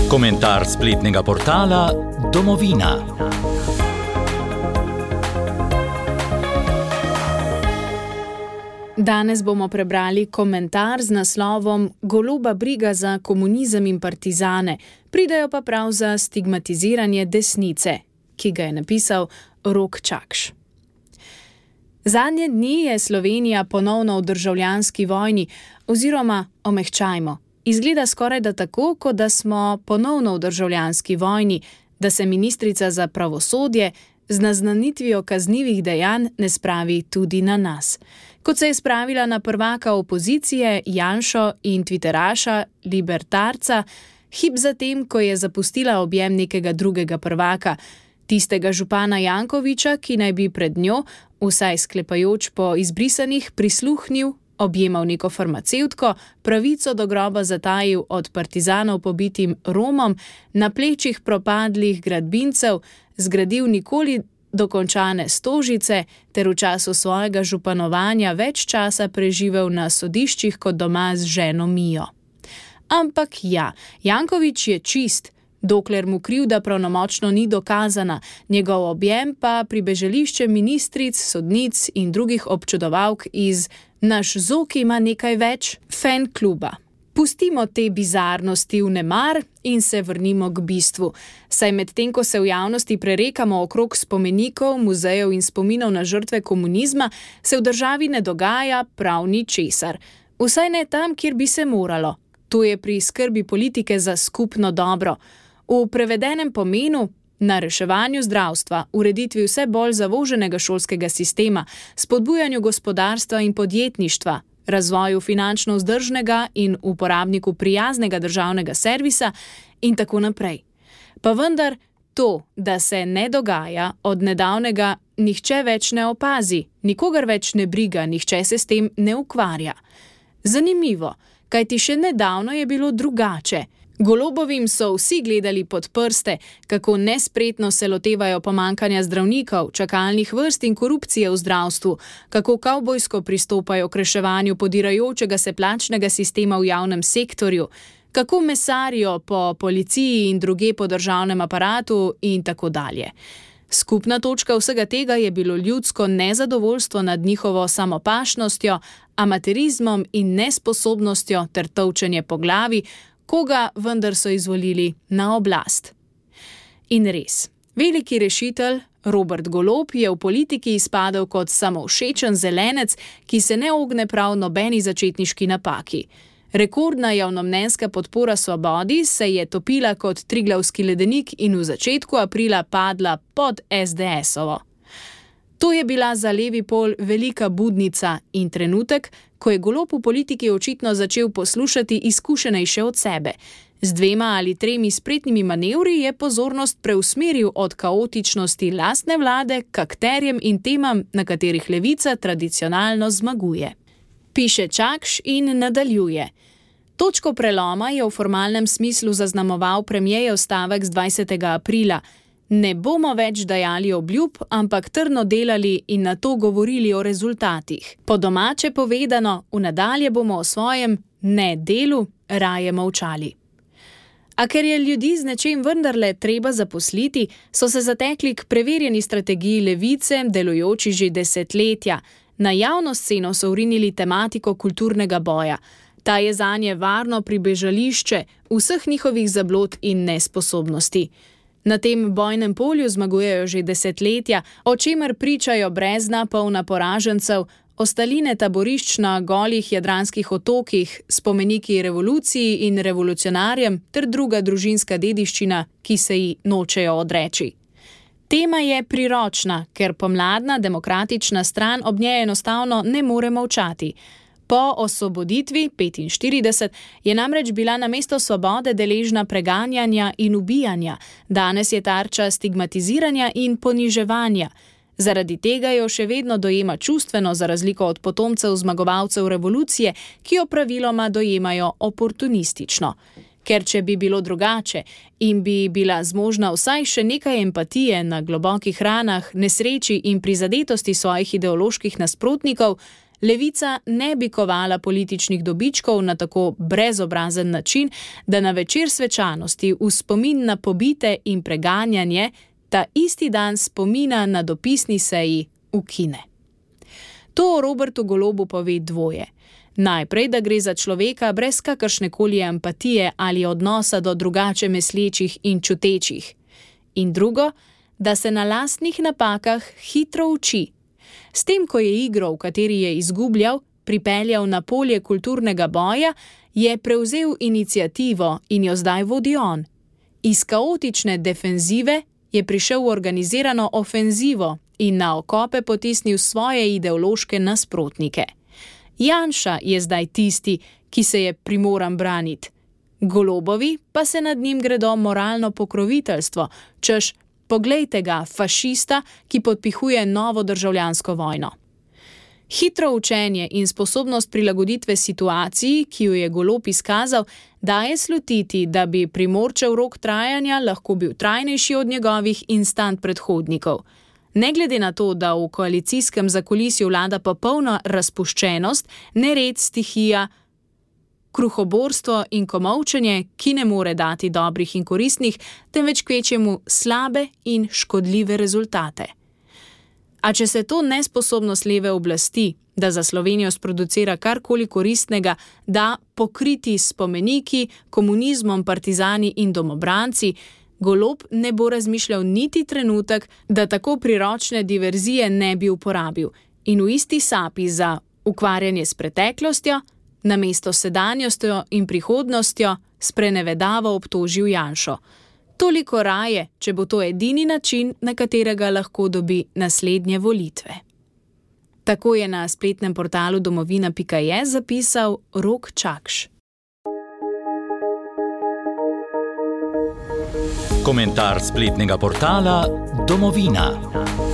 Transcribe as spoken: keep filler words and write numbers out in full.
Komentar spletnega portala Domovina. Danes bomo prebrali komentar z naslovom Goloba briga za komunizem in partizane, pridejo pa prav za stigmatiziranje desnice, ki ga je napisal Rok Čakš. Zadnje dni je Slovenija ponovno v državljanski vojni, oziroma omehčajmo. Izgleda skoraj da tako, kot da smo ponovno v državljanski vojni, da se ministrica za pravosodje z naznanitvijo kaznivih dejanj ne spravi tudi na nas. Kot se je spravila na prvaka opozicije Janšo in tviteraša Libertarca, hip zatem, ko je zapustila objem nekega drugega prvaka, tistega župana Jankoviča, ki naj bi pred njo, vsaj sklepajoč po izbrisanih, prisluhnil, objemal neko farmacevtko, pravico do groba zatajil od partizanov pobitim Romom, na plečih propadlih gradbincev zgradil nikoli dokončane Stožice ter v času svojega županovanja več časa preživel na sodiščih kot doma z ženo Mijo. Ampak ja, Jankovič je čist, dokler mu krivda pravnomočno ni dokazana, njegov objem pa pribežališče ministric, sodnic in drugih občudovalk iz Naš Zok ima nekaj več fan kluba. Pustimo te bizarnosti v nemar in se vrnimo k bistvu. Saj medtem, ko se v javnosti prerekamo okrog spomenikov, muzejev in spominov na žrtve komunizma, se v državi ne dogaja prav ničesar. Vsaj ne tam, kjer bi se moralo. To je pri skrbi politike za skupno dobro. V prevedenem pomenu na reševanju zdravstva, ureditvi vse bolj zavoženega šolskega sistema, spodbujanju gospodarstva in podjetništva, razvoju finančno vzdržnega in uporabniku prijaznega državnega servisa in tako naprej. Pa vendar to, da se ne dogaja, od nedavnega nihče več ne opazi, nikogar več ne briga, nihče se s tem ne ukvarja. Zanimivo, kajti še nedavno je bilo drugače. Golobovim so vsi gledali pod prste, kako nespretno se lotevajo pomanjkanja zdravnikov, čakalnih vrst in korupcije v zdravstvu, kako kavbojsko pristopajo k reševanju podirajočega se plačnega sistema v javnem sektorju, kako mesarijo po policiji in druge po državnem aparatu in tako dalje. Skupna točka vsega tega je bilo ljudsko nezadovoljstvo nad njihovo samopašnostjo, amaterizmom in nesposobnostjo ter tolčenje po glavi, koga vendar so izvolili na oblast. In res, veliki rešitelj Robert Golob je v politiki izpadel kot samovšečen zelenec, ki se ne ogne prav nobeni začetniški napaki. Rekordna javnomnenjska podpora Svobodi se je topila kot Triglavski ledenik in v začetku aprila padla pod es de esovo. To je bila za levi pol velika budnica in trenutek, ko je Golob v politiki očitno začel poslušati izkušenejše od sebe. Z dvema ali tremi spretnimi manevri je pozornost preusmeril od kaotičnosti lastne vlade k akterjem in temam, na katerih levica tradicionalno zmaguje. Piše Čakš in nadaljuje. Točko preloma je v formalnem smislu zaznamoval premierjev stavek z dvajsetega aprila. Ne bomo več dajali obljub, ampak trdno delali in nato govorili o rezultatih. Po domače povedano, v nadalje bomo o svojem ne delu raje molčali. A ker je ljudi z nečem vendarle treba zaposliti, so se zatekli k preverjeni strategiji levice, delujoči že desetletja. Na javno sceno so vrinili tematiko kulturnega boja. Ta je zanje varno pribežališče vseh njihovih zablod in nesposobnosti. Na tem bojnem polju zmagujejo že desetletja, o čemer pričajo brezna polna poražencev, ostaline taborišč na golih jadranskih otokih, spomeniki revoluciji in revolucionarjem ter druga družinska dediščina, ki se ji nočejo odreči. Tema je priročna, ker pomladna demokratična stran ob njej enostavno ne more molčati. Po osvoboditvi petinštirideset je namreč bila namesto svobode deležna preganjanja in ubijanja, danes je tarča stigmatiziranja in poniževanja. Zaradi tega jo še vedno dojema čustveno, za razliko od potomcev zmagovalcev revolucije, ki jo praviloma dojemajo oportunistično. Ker če bi bilo drugače in bi bila zmožna vsaj še nekaj empatije na globokih ranah, nesreči in prizadetosti svojih ideoloških nasprotnikov, Levica ne bi kovala političnih dobičkov na tako brezobrazen način, da na večer svečanosti v spomin na pobite in preganjanje ta isti dan spomina na dopisni seji ukine. To o Robertu Golobu pove dvoje. Najprej, da gre za človeka brez kakršnekoli empatije ali odnosa do drugače mislečih in čutečih. In drugo, da se na lastnih napakah hitro uči. S tem, ko je igro, v kateri je izgubljal, pripeljal na polje kulturnega boja, je prevzel iniciativo in jo zdaj vodi on. Iz kaotične defenzive je prišel v organizirano ofenzivo in na okope potisnil svoje ideološke nasprotnike. Janša je zdaj tisti, ki se je primoran braniti. Golobovi pa se nad njim gredo moralno pokroviteljstvo, češ, poglejte ga, fašista, ki podpihuje novo državljansko vojno. Hitro učenje in sposobnost prilagoditve situaciji, ki jo je Golob izkazal, daje slutiti, da bi Primorčev rok trajanja lahko bil trajnejši od njegovih instant predhodnikov. Ne glede na to, da v koalicijskem zakulisju vlada popolna razpuščenost, nered, stihija, kruhoborstvo in komolčenje, ki ne more dati dobrih in koristnih, temveč kvečjemu slabe in škodljive rezultate. A če se to nesposobnost leve oblasti, da za Slovenijo sproducira karkoli koristnega, da pokriti spomeniki, komunizmom, partizani in domobranci, Golob ne bo razmišljal niti trenutek, da tako priročne diverzije ne bi uporabil in v isti sapi za ukvarjanje s preteklostjo, namesto sedanjostjo in prihodnostjo, sprenevedavo obtožil Janšo. Toliko raje, če bo to edini način, na katerega lahko dobi naslednje volitve. Tako je na spletnem portalu domovina pika je zapisal Rok Čakš. Komentar spletnega portala Domovina.